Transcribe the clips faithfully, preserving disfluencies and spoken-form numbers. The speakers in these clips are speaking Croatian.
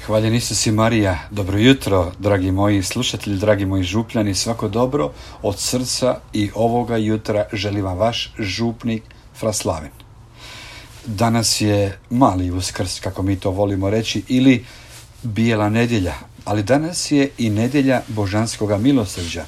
Hvaljen Isus i Marija, dobro jutro, dragi moji slušatelji, dragi moji župljani, svako dobro od srca i ovoga jutra želim vam vaš župnik Fra Slaven. Danas je mali Uskrs, kako mi to volimo reći, ili bijela nedjelja, ali danas je i nedjelja Božanskoga milosrđa.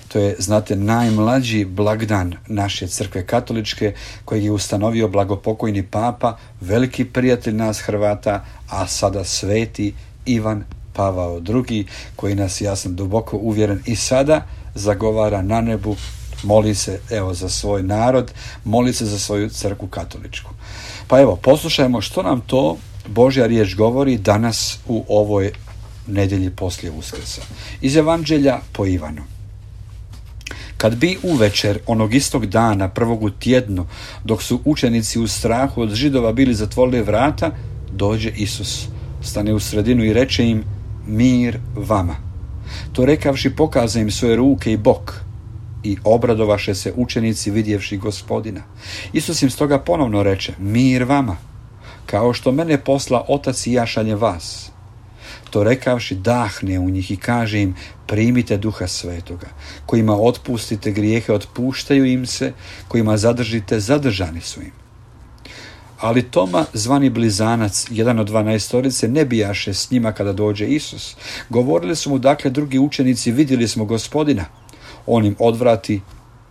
To je, znate, najmlađi blagdan naše crkve katoličke kojeg je ustanovio blagopokojni papa, veliki prijatelj nas Hrvata, a sada sveti Ivan Pavao drugi, koji nas, ja sam duboko uvjeren, i sada zagovara na nebu, moli se evo za svoj narod, moli se za svoju crkvu katoličku. Pa evo, poslušajmo što nam to Božja riječ govori danas u ovoj nedjelji poslije Uskrsa. Iz Evanđelja po Ivanu. Kad bi uvečer onog istog dana, prvog u tjednu, dok su učenici u strahu od Židova bili zatvorili vrata, dođe Isus, stane u sredinu i reče im: mir vama. To rekavši, pokaza im svoje ruke i bok, i obradovaše se učenici vidjevši Gospodina. Isus im stoga ponovno reče: mir vama. Kao što mene posla Otac i ja šaljem vas. To rekavši, dahne u njih i kaže im: primite Duha Svetoga. Kojima otpustite grijehe, otpuštaju im se, kojima zadržite, zadržani su im. Ali Toma, zvani Blizanac, jedan od dvanaestorice, ne bijaše s njima kada dođe Isus. Govorili su mu dakle drugi učenici: vidjeli smo Gospodina. On im odvrati: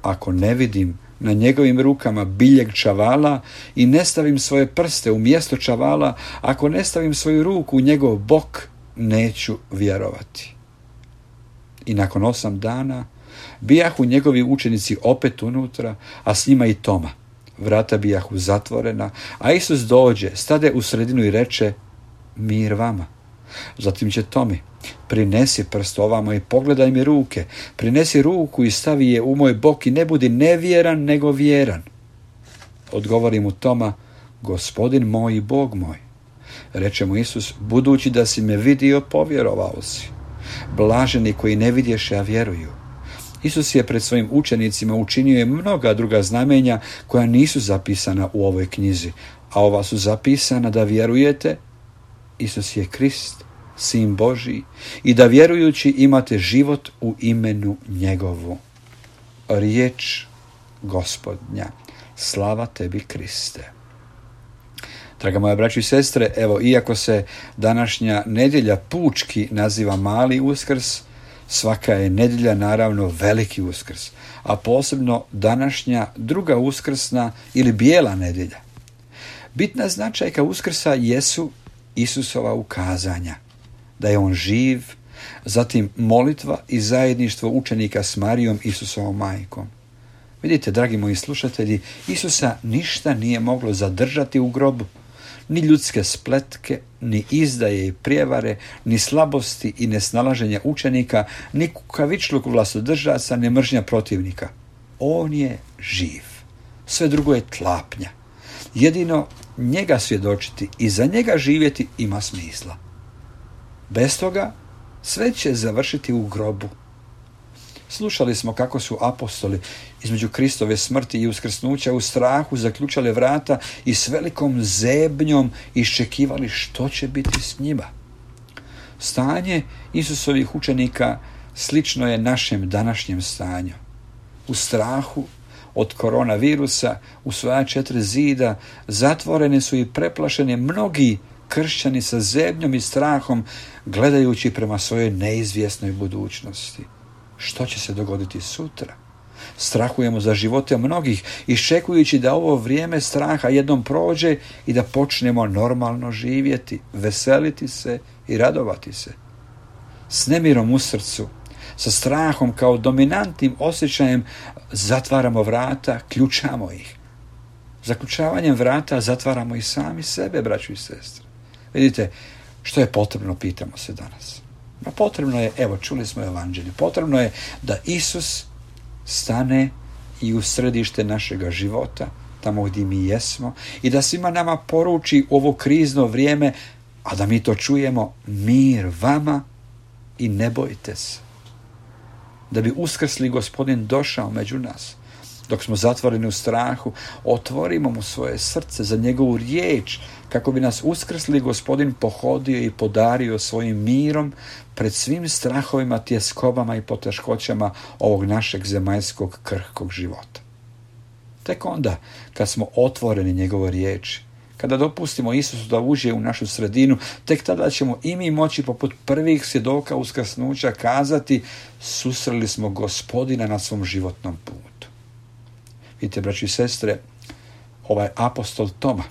ako ne vidim na njegovim rukama biljeg čavala i ne stavim svoje prste u mjesto čavala, ako ne stavim svoju ruku u njegov bok, neću vjerovati. I nakon osam dana bijahu njegovi učenici opet unutra, a s njima i Toma. Vrata bijahu zatvorena, a Isus dođe, stade u sredinu i reče: mir vama. Zatim će Tomi: prinesi prst ovamo i pogledaj mi ruke, prinesi ruku i stavi je u moj bok i ne budi nevjeran nego vjeran. Odgovori mu Toma: Gospodin moj i Bog moj. Reče mu Isus: budući da si me vidio, povjerovao si. Blaženi koji ne vidješe, a vjeruju. Isus je pred svojim učenicima učinio je mnoga druga znamenja koja nisu zapisana u ovoj knjizi, a ova su zapisana da vjerujete Isus je Krist, Sin Božji, i da vjerujući imate život u imenu njegovu. Riječ Gospodnja. Slava tebi, Kriste. Draga moja braćo i sestre, evo, iako se današnja nedjelja pučki naziva mali Uskrs, svaka je nedjelja naravno veliki Uskrs, a posebno današnja druga uskrsna ili bijela nedjelja. Bitna značajka Uskrsa jesu Isusova ukazanja, da je on živ, zatim molitva i zajedništvo učenika s Marijom, Isusovom majkom. Vidite, dragi moji slušatelji, Isusa ništa nije moglo zadržati u grobu. Ni ljudske spletke, ni izdaje i prijevare, ni slabosti i nesnalaženja učenika, ni kukavičluk vlastodržaca, ni mržnja protivnika. On je živ. Sve drugo je tlapnja. Jedino njega svjedočiti i za njega živjeti ima smisla. Bez toga sve će završiti u grobu. Slušali smo kako su apostoli između Kristove smrti i uskrsnuća u strahu zaključali vrata i s velikom zebnjom iščekivali što će biti s njima. Stanje Isusovih učenika slično je našem današnjem stanju. U strahu od koronavirusa, u svoja četiri zida, zatvoreni su i preplašeni mnogi kršćani sa zebnjom i strahom, gledajući prema svojoj neizvjesnoj budućnosti. Što će se dogoditi sutra? Strahujemo za živote mnogih, iščekujući da ovo vrijeme straha jednom prođe i da počnemo normalno živjeti, veseliti se i radovati se. S nemirom u srcu, sa strahom kao dominantnim osjećajem zatvaramo vrata, ključamo ih. Zaključavanjem vrata zatvaramo i sami sebe, braćo i sestre. Vidite, što je potrebno, pitamo se danas. Pa potrebno je, evo, čuli smo Evanđelje, potrebno je da Isus stane i u središte našega života, tamo gdje mi jesmo, i da svima nama poruči u ovo krizno vrijeme, a da mi to čujemo: mir vama i ne bojte se. Da bi uskrsli Gospodin došao među nas, Dok smo zatvoreni u strahu, otvorimo mu svoje srce za njegovu riječ, kako bi nas uskrsli Gospodin pohodio i podario svojim mirom pred svim strahovima, tjeskobama i poteškoćama ovog našeg zemaljskog krhkog života. Tek onda, kad smo otvoreni njegovoj riječi, kada dopustimo Isusu da uđe u našu sredinu, tek tada ćemo i mi moći poput prvih svjedoka uskrsnuća kazati: susreli smo Gospodina na svom životnom putu. Vidite, braći i sestre, ovaj apostol Toma,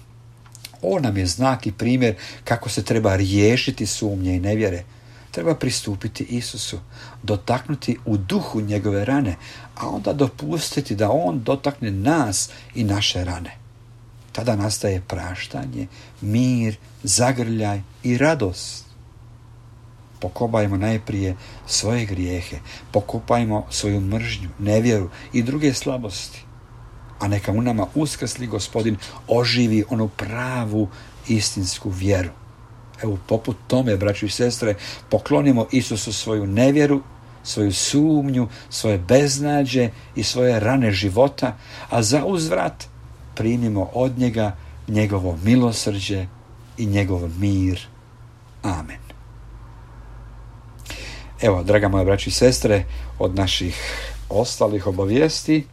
on nam je znak i primjer kako se treba riješiti sumnje i nevjere. Treba pristupiti Isusu, dotaknuti u duhu njegove rane, a onda dopustiti da on dotakne nas i naše rane. Tada nastaje praštanje, mir, zagrljaj i radost. Pokopajmo najprije svoje grijehe, pokopajmo svoju mržnju, nevjeru i druge slabosti, a neka u nama uskrsli Gospodin oživi onu pravu istinsku vjeru. Evo, poput tome, braćo i sestre, poklonimo Isusu svoju nevjeru, svoju sumnju, svoje beznađe i svoje rane života, a za uzvrat primimo od njega njegovo milosrđe i njegov mir. Amen. Evo, draga moja braćo i sestre, od naših ostalih obavijesti,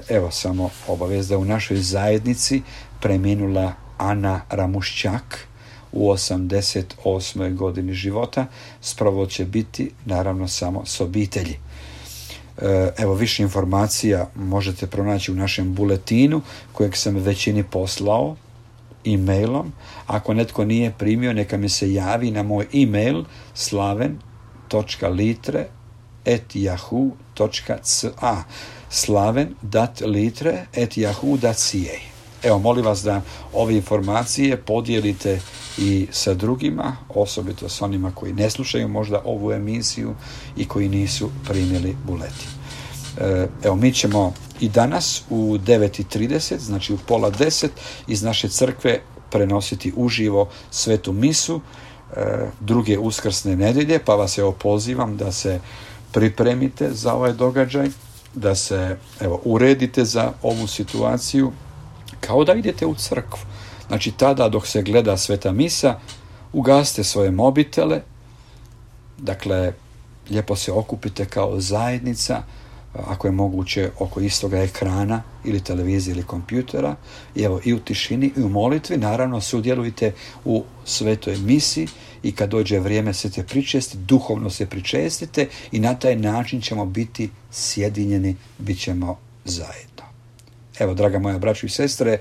evo samo obavijest da u našoj zajednici preminula Ana Ramušćak u osamdeset osmoj godini života. Sprovod će biti naravno samo s obitelji. Evo, više informacija možete pronaći u našem buletinu kojeg sam većini poslao e-mailom. Ako netko nije primio, neka mi se javi na moj e-mail slaven točka litre at yahoo točka ca slaven dat litre at yahoo dat ca. Evo, molim vas da ove informacije podijelite i sa drugima, osobito s onima koji ne slušaju možda ovu emisiju i koji nisu primili buletin. Evo, mi ćemo i danas u devet i trideset, znači u pola deset, iz naše crkve prenositi uživo svetu misu druge uskrsne nedjelje, pa vas evo pozivam da se pripremite za ovaj događaj, da se evo uredite za ovu situaciju, kao da idete u crkvu. Znači, tada dok se gleda sveta misa, ugasite svoje mobitele, dakle, lijepo se okupite kao zajednica, ako je moguće oko istoga ekrana ili televizije ili kompjutera, i evo i u tišini i u molitvi, naravno sudjelujte u svetoj misi i kad dođe vrijeme svete pričesti, duhovno se pričestite i na taj način ćemo biti sjedinjeni, bit ćemo zajedno. Evo, draga moja braćo i sestre,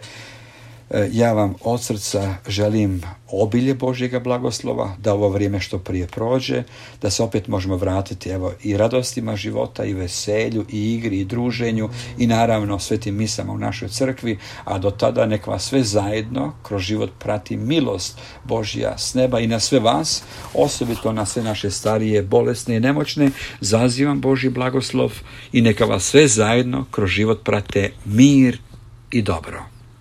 ja vam od srca želim obilje Božjega blagoslova, da ovo vrijeme što prije prođe, da se opet možemo vratiti evo i radostima života i veselju i igri i druženju i naravno svetim misama u našoj crkvi, a do tada nek vas sve zajedno kroz život prati milost Božja s neba i na sve vas, osobito na sve naše starije, bolesne i nemoćne, zazivam Božji blagoslov i neka vas sve zajedno kroz život prate mir i dobro.